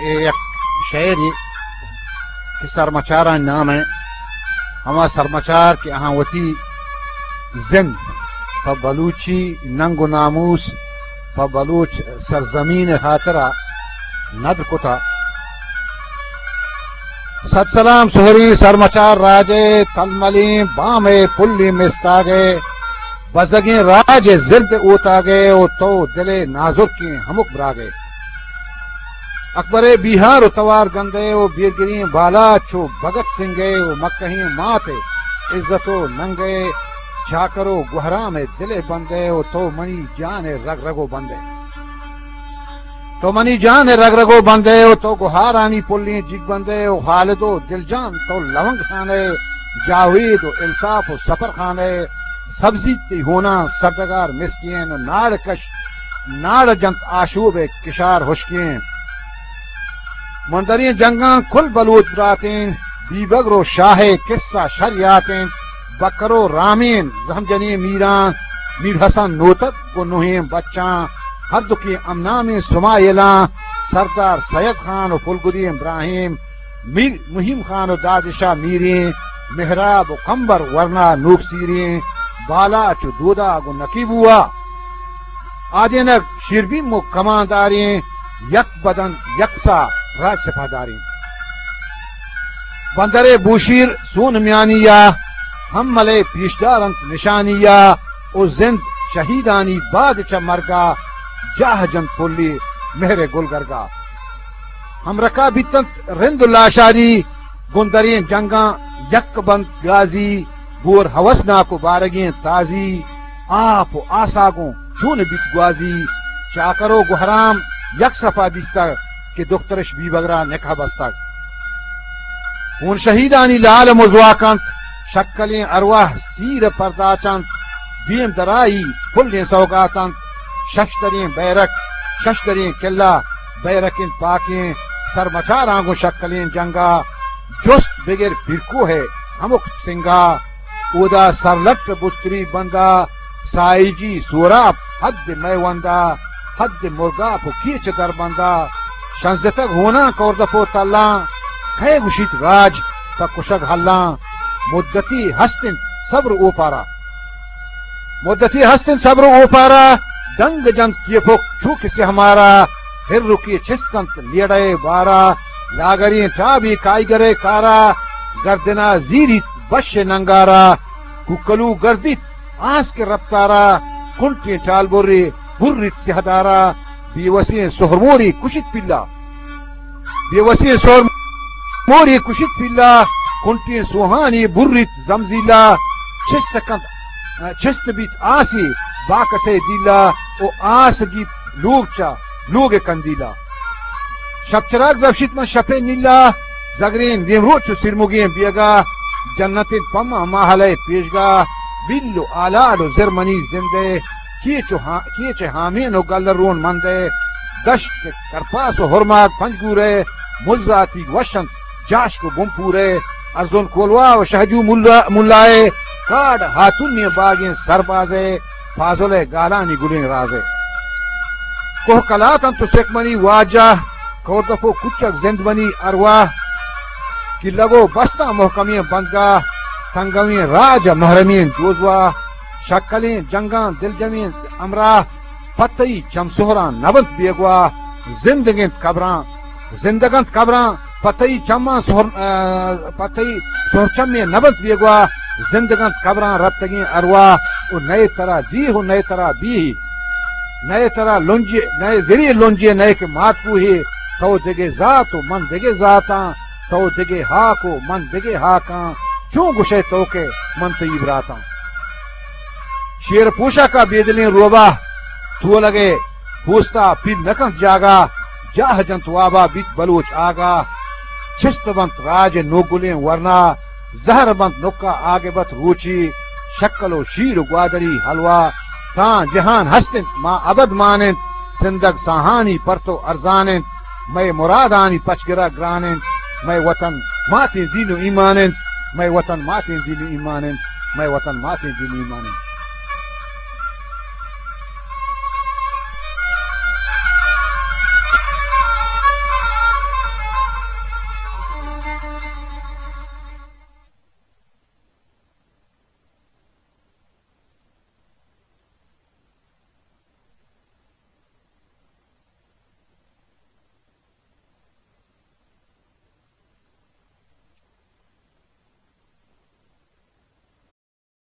اے یک شعرے کہ سرمچارانی نام ءَ، ہما سرمچار کہ آہاں وتی زند پہ بلوچی ننگ و ناموس، پہ بلوچ سرزمین ءِ ہاترا ندر کتا۔ سد سلام سہریں سرمچار راج ءِ، تلملیں بام ءِ پلیں مستاگ ءِ، بزگیں راج ءِ زرد اوتاگ ءِ، و تو دل ءِ نازرکیں ہمک براگ ءِ۔ اکبر ءِ بیہار و توار گند ءِ، و بیرگریں بالاچ و بھگت سنگھ ءِ، و مکہیں مات ءِ عزت و ننگ ءِ، چاکر و گوہرام ءِ دل ءِ بند ءِ، و تو منی جان ءِ رگ رگ و بند ءِ۔ تو منی جان ءِ رگ رگ و بند ءِ، و تو گوہارانی پلیں جیگ بند ءِ، و خالد و دلجان تو لونگ خان ءِ، جاوید و الطاف و سفر خان ءِ، سبزیت تئی ہوناں سرڈگار مسکین، و ناڑ کش ناڑ جنت آشوب ءِ کشار ہشکیں۔ مندریں جنگاں کل بلوچ براتیں، بیبگر و شاہ ءِ قصہ شر یاتیں، بکر و رامین زہم جنیں میراں، میر حسن نوتک گوں نوہیں بچاں، ہردوکیں ہمنامیں سمائلاں، سردار سید خان و پلگدی ابراہیم، میر مہیم خان و دادشاہ میریں، مہراب و کمبر ورنا نوکسیریں، بالاچ و دوداگ و نقیب بوا، آدینگ شیربیم و کمانداریں، یک بدن یک سا راج سپاہداریں۔ بندر ءِ بوشیر سون میانی ءَ، ہمل ءِ پیشدار انت نشانی ءَ، و زند شہیدانی باد چہ مرگ ءَ، جاہ جنت پلی مہر ءِ گلگرگ ءَ۔ ہمرکا بیتنت رند و لاشاری، گوں دریں جنگاں یک بنت گازی، بور ہوسناک و بارگیں تازی، آپ و آسا گوں چون بیت گوازی، چاکر و گوہرام یک سرپا دیستگ کہ دخترش بیبگرا نکاح بستگ۔ ہون شہیدانی لال مزواک انت، شکلیں ارواہ سیر پرداچ انت، دیم درائی پلیں سوگات انت، شش دریں بیرک، شش دریں قلعہ، بیرک انت پاکیں، سرمچاراں گوں شکلیں جنگا، جست بگر پیرکوہ ءِ ہمک سنگا، اودا سرلٹ بستری بندا، سائیجی سوراپ حد میوندا، حد مرگاپ و کیچ دربندا، شنزتگ ہوناں کوردپ و تلاں، کئے گوشیت راج پہ کشگ ہلاں، مدتی ہست انت صبر اوپارا۔ مدتی ہست انت صبر و اوپارا، ڈنگ جنت کیپک چو کہ سیہ مارا، ہرکی چست کنت لیڑہ ءِ بارا، لاگریں ٹابی کائیگر ءِ کارا، گردنا زیریت بش ننگارا، کوکلو گردیت آسک رپتارا، کنٹیں ٹالبرے بریت سیہدارا، بیوسیں سہرمورے کشیت پیلا۔ بے وسیں سور مورے کشیت پیلا، کنٹیں سوہانے بریت زمزیلا، چست کنت، چست بیت آسے باکسئے دیلا، و آس گیپت لوگ چہ لوگ کندیلا۔ شپ چراگ درپشیت من شپئے نیلا، زگریں نیمروچ و سیرمگیں بیگا، جنت انت پما ماہلئے پیشگا، بیل و آلاڈ و زر منی زندئے، کیچ و ہا-، کیچ ہامین و گل رون مندئے، دشت کرپاس و ہرماگ پنجگورئے، مزاتی وش انت جاشک و بنپورئے، ارزن کولواہ و شہجو ملا-، ملائے، کاڈ ہاتونیں باگیں سربازئے، پازلئے گالانی گلیں رازئے۔ کوہ کلات انت و سک منی واجہ، کوردپ و کچک زند منی ارواہ، کلگ و بستاں مہکمیں بندگاہ، تنگویں راج ء محرمیں دوزواہ، شکلیں جنگاں دلجمیں ہمراہ، پہ تئی چم سہراں نہ بنت بیگواہ، زندگ انت قبراں، زندگ انت قبراں، پہ تئی چماں سہر-، ء، پہ تئی سہرچمے نہ بنت بیگواہ، زندگ انت قبراں رپتگیں ارواہ، و نئے ترا دیہ و نئے ترا بیہ، نئے ترا لنجے، نئے زری لنجے، نئے کہ مات کوہے، تو دگہ ذات و من دگہ ذاتاں، تو دگہ ہاک و من دگہ ہاکاں، چون گشئے تو کہ من تئی براتاں۔ شیر پوشاکا بے دلیں روباہ، تولگئے پوستا پیل نہ کنت جاگا، جاہ جنت وابا بیت بلوچ آگاہ، چست بنت راج نوگلیں ورنا، زہر بنت نکا آگبت روچی، شکل و شیر و گوادری حلوا، تاں جہان ہست انت ما ابد مان انت، زندگ ساہانی پرتو ارزان انت، مئے مرادانی پچگرا گران انت، مئے وطن ماتیں دین و ایمان انت، مئے وطن ماتیں دین و ایمان انت، مئے وطن ماتیں دین و ایمان انت۔